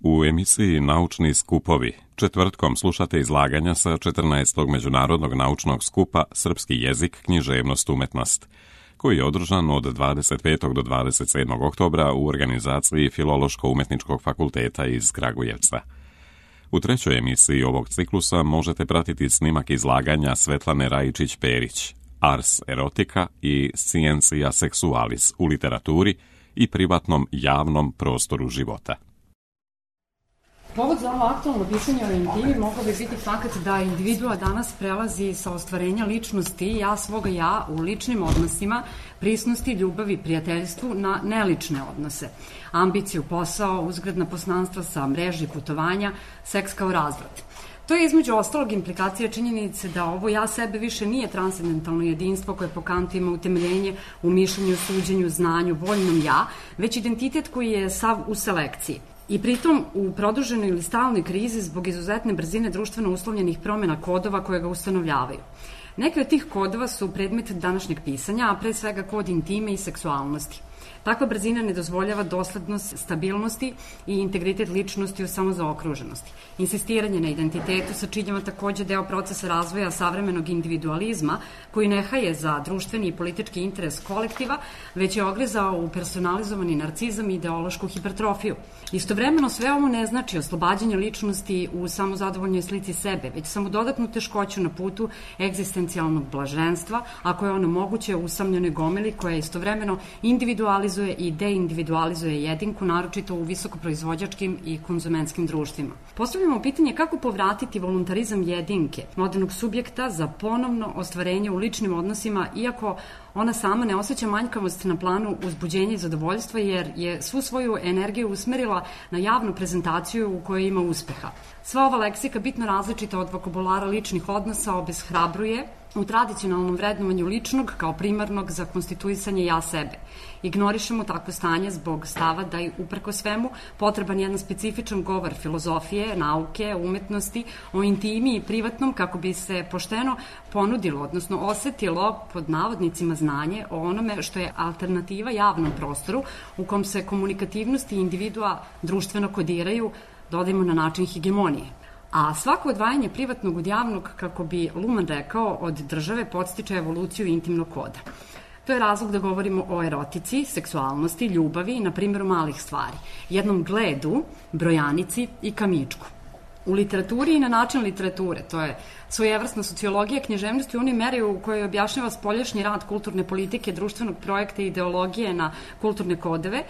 U emisiji Naučni skupovi četvrtkom slušate izlaganja sa 14. Međunarodnog naučnog skupa Srpski jezik, književnost, umetnost, koji je održan od 25. do 27. oktobra u organizaciji Filološko-umetničkog fakulteta iz Kragujevca. U trećoj emisiji ovog ciklusa možete pratiti snimak izlaganja Svetlane Rajičić-Perić, Ars erotika i Scientia sexualis u literaturi i privatnom javnom prostoru života. Povod za ovo aktualno pisanje o intimi mogao bi biti fakt da individua danas prelazi sa ostvarenja ličnosti ja svoga ja u ličnim odnosima, prisnosti, ljubavi, prijateljstvu na nelične odnose, ambiciju, posao, uzgredna poznanstva sa mreži putovanja, seks kao razvrat. To je između ostalog implikacija činjenice da ovo ja sebe više nije transcendentalno jedinstvo koje po Kantu ima utemeljenje u mišljenju, suđenju, znanju, voljnom ja, već identitet koji je sav u selekciji. I pritom u produženoj ili stalnoj krizi zbog izuzetne brzine društveno uslovljenih promjena kodova koje ga ustanovljavaju. Neki od tih kodova su predmet današnjeg pisanja, a pre svega kod intime i seksualnosti. Takva brzina ne dozvoljava doslednost stabilnosti i integritet ličnosti u samozaokruženosti. Insistiranje na identitetu sačinjava takođe deo procesa razvoja savremenog individualizma koji ne haje za društveni i politički interes kolektiva, već je ogrezao u personalizovani narcizam i ideološku hipertrofiju. Istovremeno sve ovo ne znači oslobađanje ličnosti u samozadovoljnoj slici sebe, već samo dodatnu teškoću na putu egzistencijalnog blaženstva, ako je ono moguće u usamljenoj gomili koja istovremeno individualizuje i deindividualizuje jedinku, naročito u visokoproizvođačkim i konzumentskim društvima. Postavljamo pitanje kako povratiti voluntarizam jedinke, modernog subjekta za ponovno ostvarenje u ličnim odnosima, iako ona sama ne osjeća manjkavost na planu uzbuđenja i zadovoljstva, jer je svu svoju energiju usmerila na javnu prezentaciju u kojoj ima uspeha. Sva ova leksika, bitno različita od vokabulara ličnih odnosa, obeshrabruje u tradicionalnom vrednovanju ličnog kao primarnog za konstituisanje ja sebe. Ignorišemo takvo stanje zbog stava da je uprko svemu potreban jedan specifičan govor filozofije, nauke, umetnosti o intimi i privatnom kako bi se pošteno ponudilo, odnosno osetilo pod navodnicima znanje o onome što je alternativa javnom prostoru u kom se komunikativnosti individua društveno kodiraju, dodajmo na način hegemonije. A svako odvajanje privatnog od javnog, kako bi Luhmann rekao, od države podstiče evoluciju intimnog koda. To je razlog da govorimo o erotici, seksualnosti, ljubavi i na primjeru malih stvari, jednom gledu, brojanici i kamičku. U literaturi i na način literature, to je svojevrsna sociologija književnosti u onoj meri u kojoj objašnjava spoljašnji rad kulturne politike, društvenog projekta i ideologije na kulturne kodove,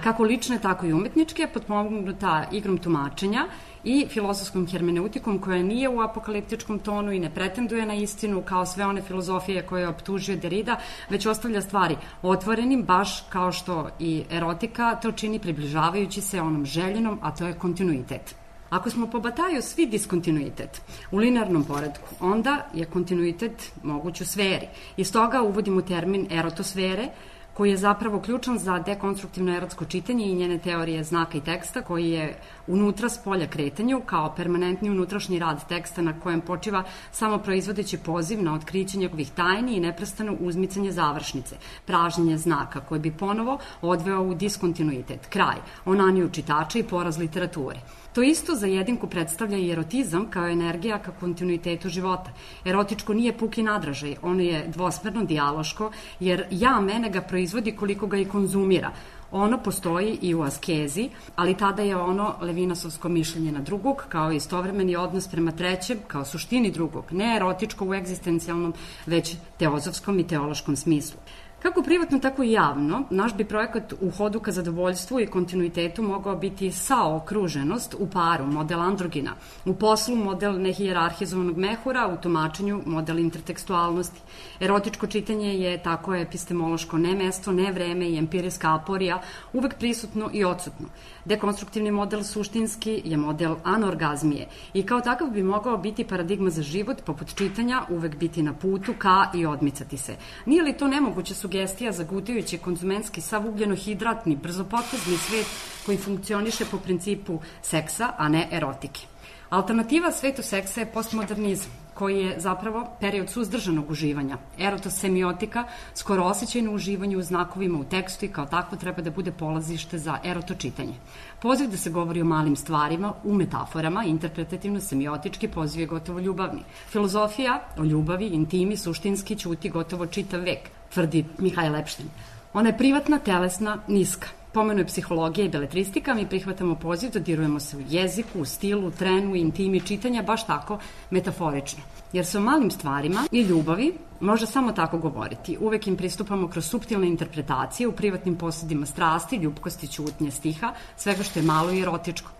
kako lične, tako i umetničke, potpomognuta igrom tumačenja i filozofskom hermeneutikom koja nije u apokaliptičkom tonu i ne pretenduje na istinu kao sve one filozofije koje je optužio Derrida, već ostavlja stvari otvorenim, baš kao što i erotika to čini približavajući se onom željenom, a to je kontinuitet. Ako smo po Bataju svi diskontinuitet u linearnom poredku, onda je kontinuitet moguć u sferi. I stoga uvodimo termin erotosfere, koji je zapravo ključan za dekonstruktivno erotsko čitanje i njene teorije znaka i teksta, koji je unutra s polja kretanju kao permanentni unutrašnji rad teksta na kojem počiva samo proizvodeći poziv na otkriće njegovih tajni i neprestano uzmicanje završnice, pražnjenje znaka koji bi ponovo odveo u diskontinuitet, kraj, onaniju čitača i poraz literature. To isto za jedinku predstavlja i erotizam kao energija ka kontinuitetu života. Erotičko nije puki nadražaj, ono je dvosmerno, dijaloško, jer ja mene ga proizvodi koliko ga i konzumira. Ono postoji i u askezi, ali tada je ono levinasovsko mišljenje na drugog, kao istovremeni odnos prema trećem, kao suštini drugog, ne erotičko u egzistencijalnom, već teozofskom i teološkom smislu. Kako privatno, tako i javno, naš bi projekat u hodu ka zadovoljstvu i kontinuitetu mogao biti saokruženost u paru, model androgina, u poslu model nehijerarhizovanog mehura, u tumačenju model intertekstualnosti. Erotičko čitanje je tako epistemološko ne mesto, ne vreme i empirijska aporija, uvek prisutno i odsutno. Dekonstruktivni model suštinski je model anorgazmije i kao takav bi mogao biti paradigma za život, poput čitanja, uvek biti na putu ka i odmicati se. Nije li to nemoguće sugerirati sugestija za gutajući konzumentski sav ugljenohidratni, brzopotezni svet koji funkcioniše po principu seksa, a ne erotike. Alternativa svetu seksa je postmodernizam, koji je zapravo period suzdržanog uživanja. Erotosemiotika, skoro osjećajno uživanje u znakovima u tekstu i kao takvo treba da bude polazište za erotočitanje. Poziv da se govori o malim stvarima, u metaforama, interpretativno, semiotički, poziv je gotovo ljubavni. Filozofija o ljubavi, intimi, suštinski ćuti gotovo čitav vek, tvrdi Mihajl Epštajn. Ona je privatna, telesna, niska. Pomenuje psihologija i beletristika, mi prihvatamo poziv, dodirujemo se u jeziku, u stilu, trenu, intimi čitanja, baš tako metaforično. Jer se o malim stvarima i ljubavi može samo tako govoriti. Uvek im pristupamo kroz suptilne interpretacije u privatnim posudima strasti, ljubkosti, ćutnje, stiha, svega što je malo i erotičko.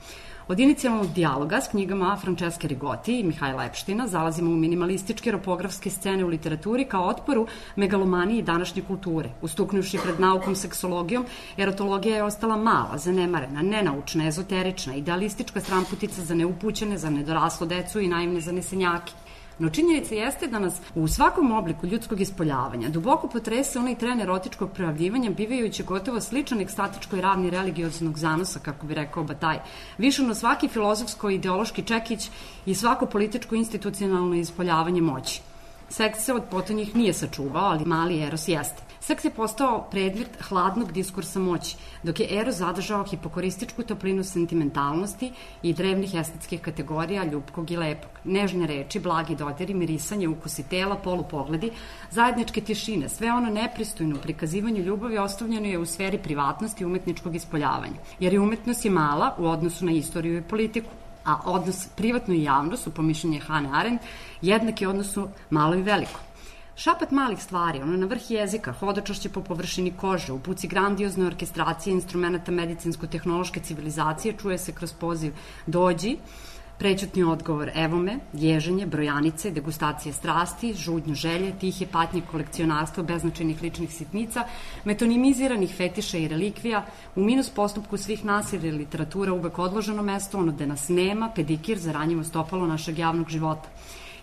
Od inicijalnog dijaloga s knjigama Franceske Rigotti i Mihajla Epštajna zalazimo u minimalističke ropografske scene u literaturi kao otporu megalomaniji današnje kulture. Ustuknuvši pred naukom seksologijom, erotologija je ostala mala, zanemarena, nenaučna, ezoterična, idealistička stramputica za neupućene, za nedoraslo decu i naivne zanesenjake. No činjenica jeste da nas u svakom obliku ljudskog ispoljavanja duboko potrese onaj tren erotičkog projavljivanja, bivajući gotovo sličan ekstatičkoj ravni religioznog zanosa, kako bi rekao Bataj. Više no svaki filozofsko-ideološki čekić i svako političko-institucionalno ispoljavanje moći. Seks se od potonjih nije sačuvao, ali mali eros jeste. Seks je postao predmet hladnog diskursa moći, dok je eros zadržao hipokorističku toplinu sentimentalnosti i drevnih estetskih kategorija ljubkog i lepog. Nežne reči, blagi dodiri, mirisanje, ukusi tela, polupogledi, zajedničke tišine, sve ono nepristojno u prikazivanju ljubavi ostavljeno je u sferi privatnosti i umetničkog ispoljavanja. Jer i umetnost je mala u odnosu na istoriju i politiku. A odnos privatno i javno su, po mišljenju Hane Arendt, jednaki odnosu malo i veliko. Šapat malih stvari, ono na vrh jezika, hodočašće po površini kože, u puci grandiozne orkestracije instrumenta medicinsko-tehnološke civilizacije čuje se kroz poziv dođi, prećutni odgovor evo me, ježenje, brojanice, degustacije strasti, žudnju želje, tihe patnje kolekcionarstva beznačajnih ličnih sitnica, metonimiziranih fetiša i relikvija, u minus postupku svih nas jer je literatura uvek odloženo mesto, ono da nas nema, pedikir za ranjivo stopalo našeg javnog života.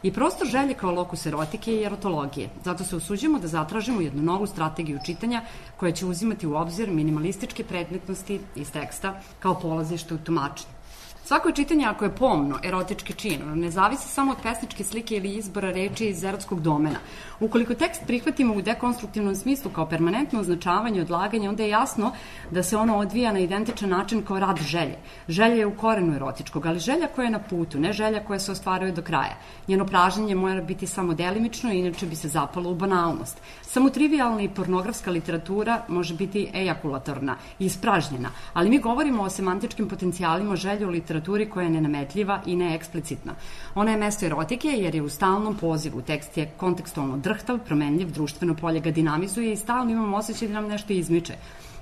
I prostor želje kao lokus erotike i erotologije. Zato se usuđujemo da zatražimo jednu novu strategiju čitanja koja će uzimati u obzir minimalističke predmetnosti iz teksta kao polazište u tumačenju. Svako čitanje, ako je pomno, erotički čin, ne zavisi samo od pesničke slike ili izbora reči iz erotskog domena. Ukoliko tekst prihvatimo u dekonstruktivnom smislu kao permanentno označavanje, odlaganje, onda je jasno da se ono odvija na identičan način kao rad želje. Želja je u korenu erotičkog, ali želja koja je na putu, ne želja koja se ostvaruje do kraja. Njeno pražnjenje mora biti samo delimično, inače bi se zapalo u banalnost. Samo trivialna i pornografska literatura može biti ejakulatorna i ispražnjena, ali mi govorimo o semantičkim potencijalima želje u literaturi koja je nenametljiva i neeksplicitna. Ona je mesto erotike jer je u stalnom pozivu. Tekst je kontekstualno drhtav, promenljiv, društveno polje ga dinamizuje i stalno imamo osjećaj da nam nešto izmiče.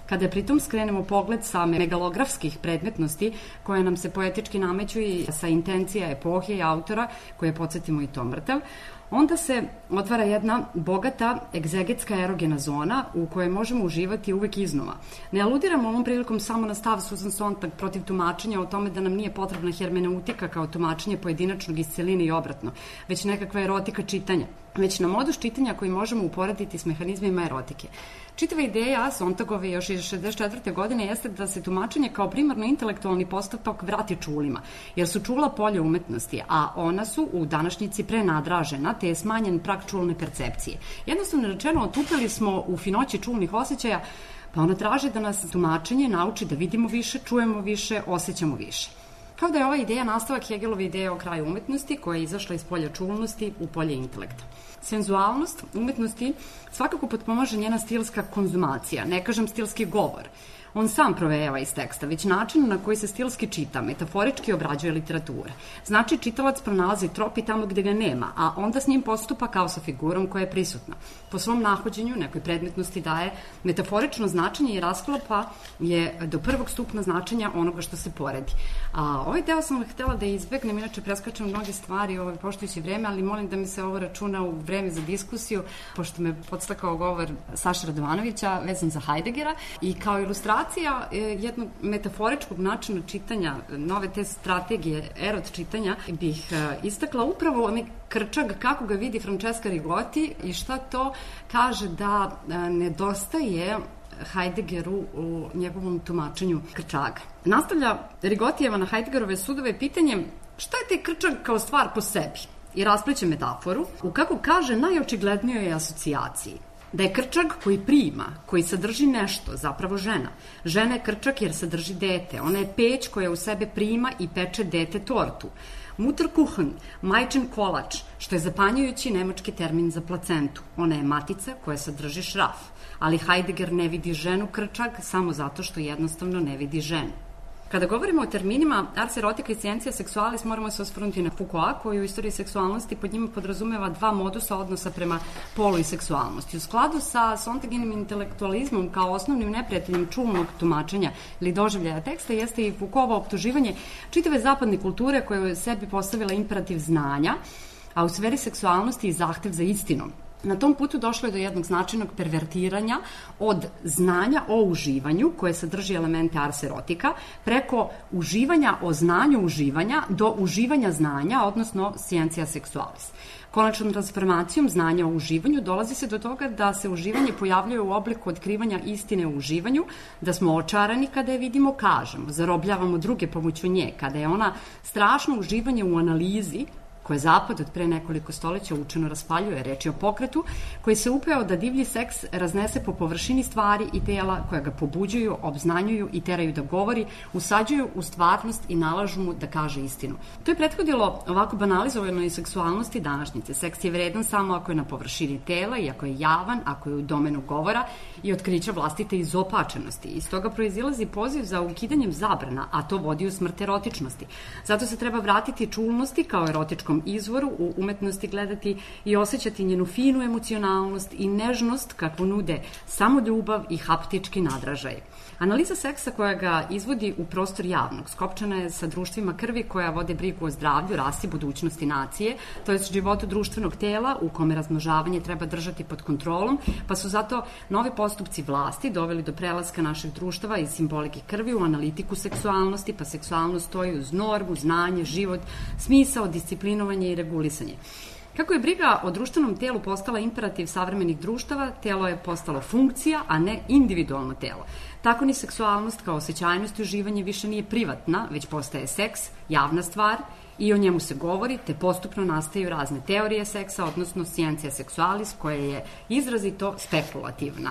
Kada pritom skrenemo pogled sa megalografskih predmetnosti koje nam se poetički nameću i sa intencija epohe i autora, koje podsjetimo i to mrtav, onda se otvara jedna bogata egzegetska erogena zona u kojoj možemo uživati uvek iznova. Ne aludiramo ovom prilikom samo na stav Susan Sontag protiv tumačenja o tome da nam nije potrebna hermeneutika kao tumačenje pojedinačnog iz celine i obratno, već nekakva erotika čitanja, već na modus čitanja koji možemo uporediti s mehanizmima erotike. Čitava ideja Sontagove još iz 64. godine jeste da se tumačenje kao primarno intelektualni postupak vrati čulima, jer su čula polje umetnosti, a ona su u današnjici prenadražena, te je smanjen prag čulne percepcije. Jednostavno rečeno, otupili smo u finoći čulnih osjećaja, pa ona traži da nas tumačenje nauči da vidimo više, čujemo više, osjećamo više. Kao da je ova ideja nastavak Hegelove ideje o kraju umetnosti, koja je izašla iz polja čulnosti u polje intelekta. Senzualnost umetnosti svakako potpomaže njena stilska konzumacija, ne kažem stilski govor. On sam provejava iz teksta, već način na koji se stilski čita, metaforički obrađuje literatura. Znači, čitalac pronalazi trop i tamo gde ga nema, a onda s njim postupa kao sa figurom koja je prisutna. Po svom nahođenju nekoj predmetnosti daje metaforično značenje i rasklapa je do prvog stupna značenja onoga što se poredi. A ovaj deo sam htela da izbegnem, inače preskačem mnoge stvari poštujući vreme, ali molim da mi se ovo računa u vreme za diskusiju, pošto me podstakao govor Saše Radovanovića vezan za Heideggera i kao ilustraciju ilustracija jednog metaforičkog načina čitanja, nove te strategije erot čitanja, bih istakla upravo onaj krčag, kako ga vidi Francesca Rigotti i šta to kaže da nedostaje Heideggeru u njegovom tumačenju krčaga. Nastavlja Rigotijeva na Heideggerove sudove pitanjem šta je taj krčag kao stvar po sebi i raspliće metaforu u, kako kaže, najočiglednijoj asocijaciji. Da je krčag koji prima, koji sadrži nešto, zapravo žena. Žena je krčag jer sadrži dete. Ona je peć koja u sebe prima i peče dete tortu. Mutterkuchen, majčin kolač, što je zapanjujući nemački termin za placentu. Ona je matica koja sadrži šraf. Ali Heidegger ne vidi ženu krčag samo zato što jednostavno ne vidi ženu. Kada govorimo o terminima ars erotica i scientia sexualis, moramo se osvrnuti na Foucaulta, koji u istoriji seksualnosti pod njima podrazumeva dva modusa odnosa prema polu i seksualnosti. U skladu sa Sontaginim intelektualizmom kao osnovnim neprijateljem čulnog tumačenja ili doživljaja teksta jeste i Foucaultovo optuživanje čitave zapadne kulture koja je sebi postavila imperativ znanja, a u sferi seksualnosti i zahtev za istinom. Na tom putu došlo je do jednog značajnog pervertiranja od znanja o uživanju, koje sadrži elemente ars erotika, preko uživanja o znanju uživanja do uživanja znanja, odnosno scientia sexualis. Konačnom transformacijom znanja o uživanju dolazi se do toga da se uživanje pojavljuje u obliku otkrivanja istine o uživanju, da smo očarani kada je vidimo, kažemo, zarobljavamo druge pomoću nje, kada je ona strašno uživanje u analizi, koje Zapad od pre nekoliko stoleća učeno raspaljuje, reč je o pokretu koji se upeo da divlji seks raznese po površini stvari i tela koja ga pobuđuju, obznanjuju i teraju da govori, usađuju u stvarnost i nalažu mu da kaže istinu. To je prethodilo ovako banalizovanoj seksualnosti današnjice. Seks je vredan samo ako je na površini tela i ako je javan, ako je u domenu govora i otkrića vlastite izopačenosti. Iz toga proizilazi poziv za ukidanjem zabrana, a to vodi u smrt erotičnosti. Zato se treba vratiti čulnosti kao erotičkom izvoru, u umetnosti gledati i osjećati njenu finu emocionalnost i nežnost kakvu nude samo ljubav i haptički nadražaj. Analiza seksa koja ga izvodi u prostor javnog skopčana je sa društvima krvi koja vode brigu o zdravlju, rasi, budućnosti nacije, to je životu društvenog tela u kome razmnožavanje treba držati pod kontrolom, pa su zato novi postupci vlasti doveli do prelaska naših društava iz simbolike krvi u analitiku seksualnosti, pa seksualnost stoji uz normu, znanje, život, smisao, disciplinovanje i regulisanje. Kako je briga o društvenom telu postala imperativ savremenih društava, telo je postalo funkcija, a ne individualno telo. Tako ni seksualnost kao osjećajnost i uživanje više nije privatna, već postaje seks, javna stvar i o njemu se govori, te postupno nastaju razne teorije seksa, odnosno scientia sexualis, koja je izrazito spekulativna.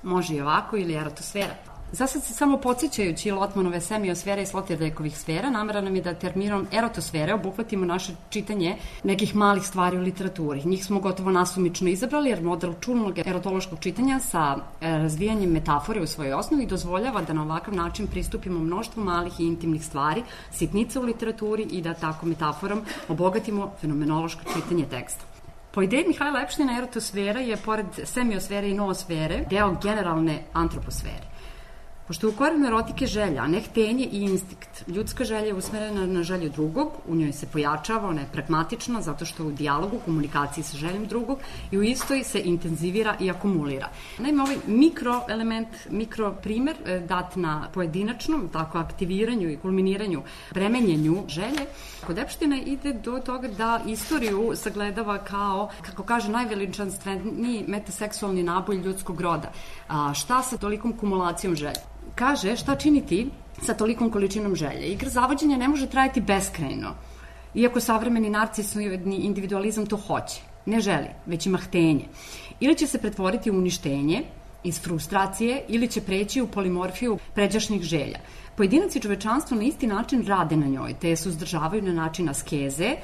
Može i ovako ili erotosfera. Zasad se samo podsjećajući Lotmanove semiosfere i Sloterdijkovih sfera, namera nam je da terminom erotosfere obuhvatimo naše čitanje nekih malih stvari u literaturi. Njih smo gotovo nasumično izabrali jer model čulnog erotološkog čitanja sa razvijanjem metafore u svojoj osnovi dozvoljava da na ovakav način pristupimo mnoštvu malih i intimnih stvari, sitnica u literaturi i da tako metaforom obogatimo fenomenološko čitanje teksta. Po ideji Mihajla Epština, erotosfera je, pored semiosfere i noosfere, deo generalne antroposfere. Pošto je u korenu erotike želja, a ne htenje i instinkt, ljudska želja je usmerena na želju drugog, u njoj se pojačava, ona je pragmatična zato što u dijalogu, komunikaciji sa željom drugog i u istoj se intenzivira i akumulira. Naime, ovaj mikroelement, mikroprimer dat na pojedinačnom, tako aktiviranju i kulminiranju, premenjenju želje, kod Epština ide do toga da istoriju sagledava kao, kako kaže, najveličanstveniji metaseksualni naboj ljudskog roda. A šta sa tolikom kumulacijom želje? Kaže šta činiti sa tolikom količinom želje. Igra zavođenja ne može trajati beskrajno, iako savremeni narcisni individualizam to hoće. Ne želi, već ima htenje. Ili će se pretvoriti u uništenje iz frustracije, ili će preći u polimorfiju pređašnjih želja. Pojedinac i čovečanstvo na isti način rade na njoj, te je suzdržavaju na način askeze,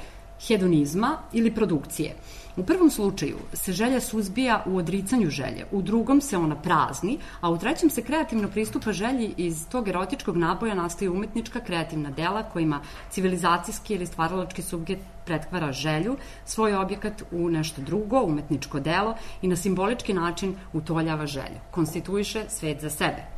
hedonizma ili produkcije. U prvom slučaju se želja suzbija u odricanju želje, u drugom se ona prazni, a u trećem se kreativno pristupa želji. Iz tog erotičkog naboja nastaju umetnička kreativna dela kojima civilizacijski ili stvaralački subjekt pretvara želju, svoj objekat u nešto drugo, umetničko delo i na simbolički način utoljava želju. Konstituiše svet za sebe.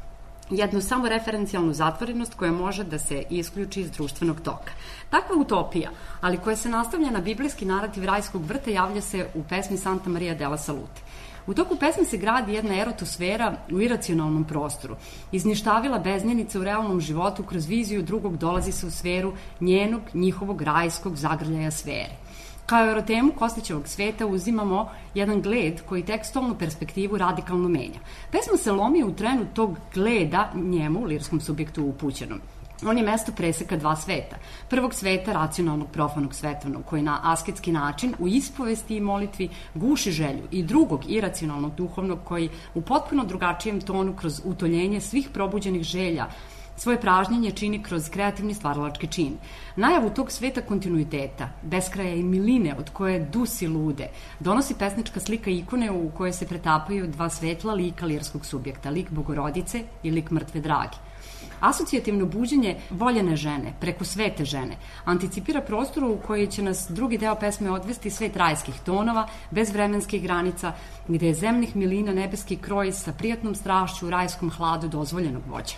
Jednu samo referencijalnu zatvorenost koja može da se isključi iz društvenog toka. Takva utopija, ali koja se nastavlja na biblijski narativ rajskog vrta, javlja se u pesmi Santa Maria della Salute. U toku pesme se gradi jedna erotosfera u iracionalnom prostoru. Izništavila beznjenica u realnom životu kroz viziju drugog dolazi se u sferu njihovog rajskog zagrljaja sfere. Kao erotemu Kostićevog sveta uzimamo jedan gled koji tekstualnu perspektivu radikalno menja. Pesma se lomi u trenu tog gleda njemu, lirskom subjektu upućenom. On je mesto preseka dva sveta. Prvog sveta, racionalnog, profanog, svetovnog, koji na asketski način u ispovesti i molitvi guši želju, i drugog, iracionalnog, duhovnog, koji u potpuno drugačijem tonu kroz utoljenje svih probuđenih želja svoje pražnjenje čini kroz kreativni stvaralački čin. Najavu tog sveta kontinuiteta, beskraja i miline od koje dusi lude, donosi pesnička slika ikone u kojoj se pretapaju dva svetla lika lirskog subjekta, lik Bogorodice i lik mrtve Drage. Asocijativno buđenje voljene žene, preko svete žene, anticipira prostoru u koji će nas drugi deo pesme odvesti svet rajskih tonova, bez vremenskih granica, gde je zemnih milina nebeski kroj sa prijatnom strašću u rajskom hladu dozvoljenog voća.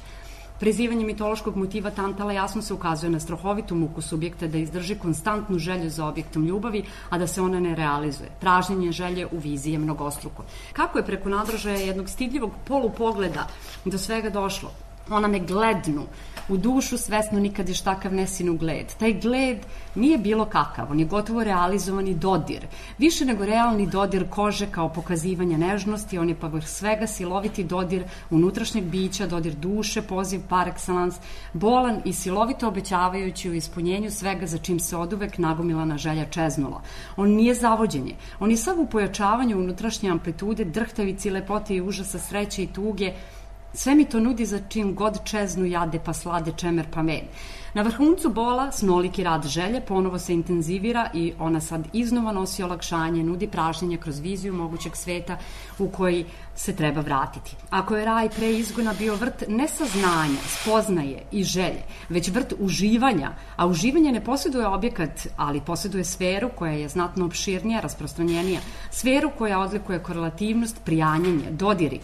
Prizivanje mitološkog motiva Tantala jasno se ukazuje na strahovitu muku subjekta da izdrži konstantnu želju za objektom ljubavi, a da se ona ne realizuje. Pražnjenje želje u viziji je mnogostruko. Kako je preko nadražaja jednog stidljivog polupogleda do svega došlo? Ona ne glednu, u dušu svesno nikad još takav nesinu gled. Taj gled nije bilo kakav, on je gotovo realizovani dodir. Više nego realni dodir kože kao pokazivanje nežnosti, on je pa vrh svega siloviti dodir unutrašnjeg bića, dodir duše, poziv par excellence, bolan i silovito obećavajući u ispunjenju svega za čim se oduvek nagomilana želja čeznula. On nije zavođenje, on je sav u pojačavanju unutrašnje amplitude, drhtavici, lepote i užasa, sreće i tuge. Sve mi to nudi za čim god čeznu jade pa slade čemer pa med. Na vrhuncu bola snoliki rad želje ponovo se intenzivira i ona sad iznova nosi olakšanje, nudi pražnjenje kroz viziju mogućeg sveta u koji se treba vratiti. Ako je raj pre izgona bio vrt nesaznanja, spoznaje i želje, već vrt uživanja, a uživanje ne posjeduje objekat, ali posjeduje sferu koja je znatno opširnija, rasprostranjenija, sferu koja odlikuje korelativnost, prijanjenje, dodiri,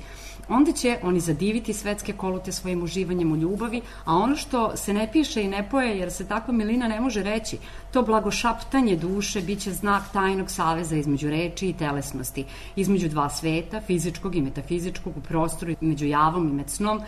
onda će oni zadiviti svetske kolute svojim uživanjem u ljubavi, a ono što se ne piše i ne poje, jer se takva milina ne može reći, to blagošaptanje duše biće znak tajnog saveza između reči i telesnosti, između dva sveta, fizičkog i metafizičkog, u prostoru, među javom i med snom,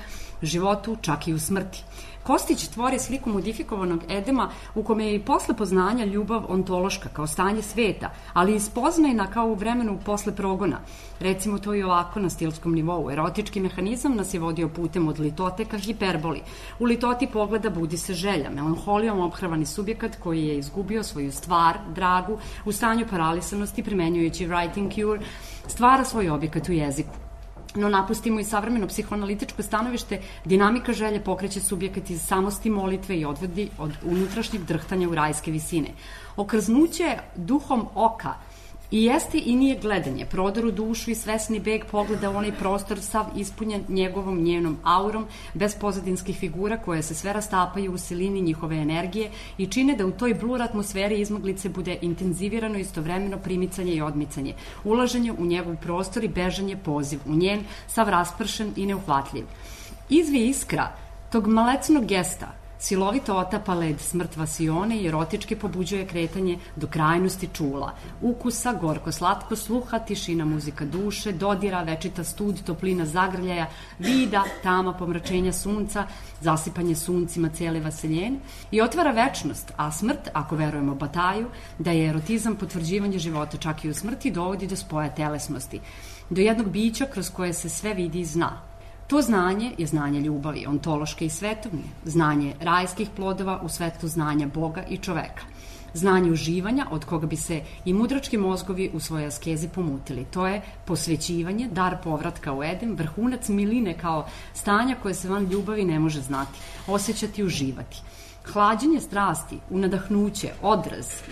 životu, čak i u smrti. Kostić tvori sliku modifikovanog Edema u kome je i posle poznanja ljubav ontološka kao stanje sveta, ali i spoznajna kao u vremenu posle progona. Recimo to i ovako na stilskom nivou. Erotički mehanizam nas je vodio putem od litote ka hiperboli. U litoti pogleda budi se želja, melanholijom ophrvani subjekat koji je izgubio svoju stvar, dragu, u stanju paralisanosti primenjujući writing cure, stvara svoj objekat u jeziku. No napustimo i savremeno psihoanalitičko stanovište, dinamika želje pokreće subjekat iz samosti molitve i odvodi od unutrašnjeg drhtanja u rajske visine. Okrznuće duhom oka i jeste i nije gledanje, prodor u dušu i svesni beg pogleda u onaj prostor sav ispunjen njenom aurom, bez pozadinskih figura koje se sve rastapaju u silini njihove energije i čine da u toj blur atmosferi izmaglice bude intenzivirano istovremeno primicanje i odmicanje, ulaženje u njegov prostor i bežanje poziv u njen, sav raspršen i neuhvatljiv. Izvije iskra tog malecnog gesta silovito otapa led smrt vasione i erotički pobuđuje kretanje do krajnosti čula, ukusa, gorko, slatko, sluha, tišina, muzika duše, dodira, večita stud, toplina zagrljaja, vida, tama, pomračenja sunca, zasipanje suncima cele vaseljene i otvara večnost, a smrt, ako verujemo Bataju, da je erotizam potvrđivanje života čak i u smrti, dovodi do spoja telesnosti, do jednog bića kroz koje se sve vidi i zna. To znanje je znanje ljubavi, ontološke i svetovne, znanje rajskih plodova u svetlu znanja Boga i čoveka, znanje uživanja od koga bi se i mudrački mozgovi u svojoj askezi pomutili. To je posvećivanje, dar povratka u Edem, vrhunac miline kao stanja koje se van ljubavi ne može znati, osjećati i uživati. Hlađenje strasti, unadahnuće,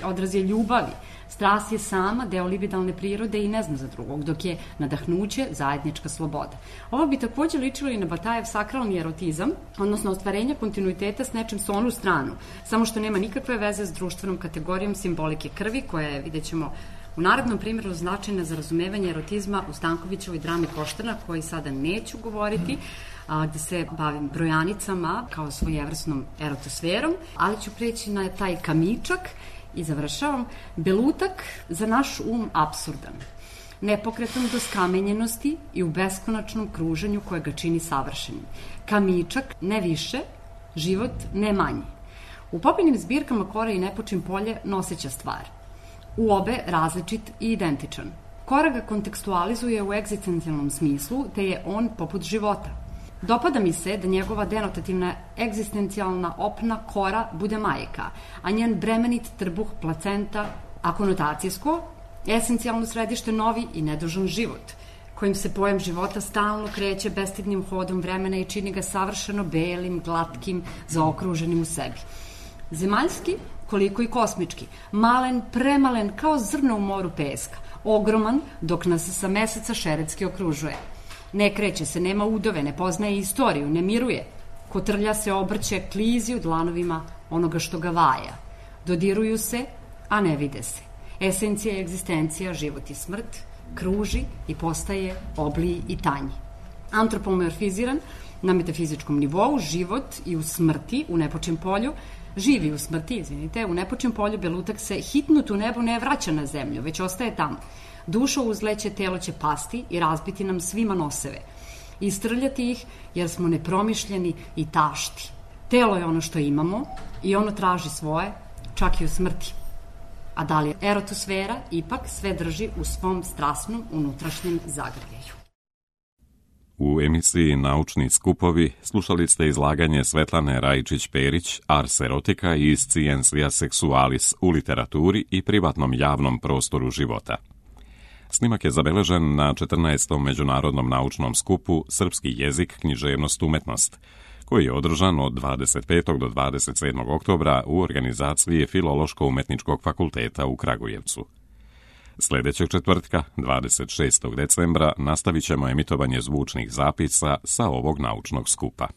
odraz je ljubavi. Strast je sama deo libidalne prirode i ne zna za drugog, dok je nadahnuće zajednička sloboda. Ovo bi takođe ličilo i na Batajev sakralni erotizam, odnosno ostvarenja kontinuiteta s nečem sa onu stranu, samo što nema nikakve veze s društvenom kategorijom simbolike krvi, koja je, vidjet ćemo u narednom primjeru, značajna za razumevanje erotizma u Stankovićevoj drami Koštana, koji sada neću govoriti, gde se bavim brojanicama kao svojevrsnom erotosferom, ali ću preći na taj kamičak i završavam. Belutak za naš um apsurdan. nepokretan do skamenjenosti i u beskonačnom kruženju koje ga čini savršenim. Kamičak, ne više, život, ne manje. U Popinim zbirkama Kora i Nepočin polje noseća stvar. U obe različit i identičan. Kora ga kontekstualizuje u egzistencijalnom smislu, te je on poput života. Dopada mi se da njegova denotativna egzistencijalna opna Kora bude majka, a njen bremenit trbuh placenta, a konotacijsko, esencijalno središte novi i nedužan život, kojim se pojam života stalno kreće bestidnim hodom vremena i čini ga savršeno belim, glatkim, zaokruženim u sebi. Zemaljski, koliko i kosmički, malen, premalen, kao zrno u moru peska, ogroman, dok nas sa meseca šeretski okružuje. Ne kreće se, nema udove, ne poznaje istoriju, ne miruje. Kotrlja se, obrće, klizi u dlanovima onoga što ga vaja. Dodiruju se, a ne vide se. Esencija i egzistencija, život i smrt, kruži i postaje obliji i tanji. Antropomorfiziran na metafizičkom nivou, život i u smrti, u Nepočin polju, živi u smrti, u Nepočin polju Belutak se hitnut u nebo ne vraća na zemlju, već ostaje tamo. Duša uzleće, telo će pasti i razbiti nam svima noseve. Istrljati ih jer smo nepromišljeni i tašti. Telo je ono što imamo i ono traži svoje, čak i u smrti. A da li erotosfera ipak sve drži u svom strasnom unutrašnjem zagrljaju. U emisiji Naučni skupovi slušali ste izlaganje Svetlane Rajičić-Perić Ars erotica iz Scientia sexualis u literaturi i privatnom javnom prostoru života. Snimak je zabeležen na 14. Međunarodnom naučnom skupu Srpski jezik, književnost, umetnost, koji je održan od 25. do 27. oktobra u organizaciji Filološko-umetničkog fakulteta u Kragujevcu. Sljedećeg četvrtka, 26. decembra, nastavit ćemo emitovanje zvučnih zapisa sa ovog naučnog skupa.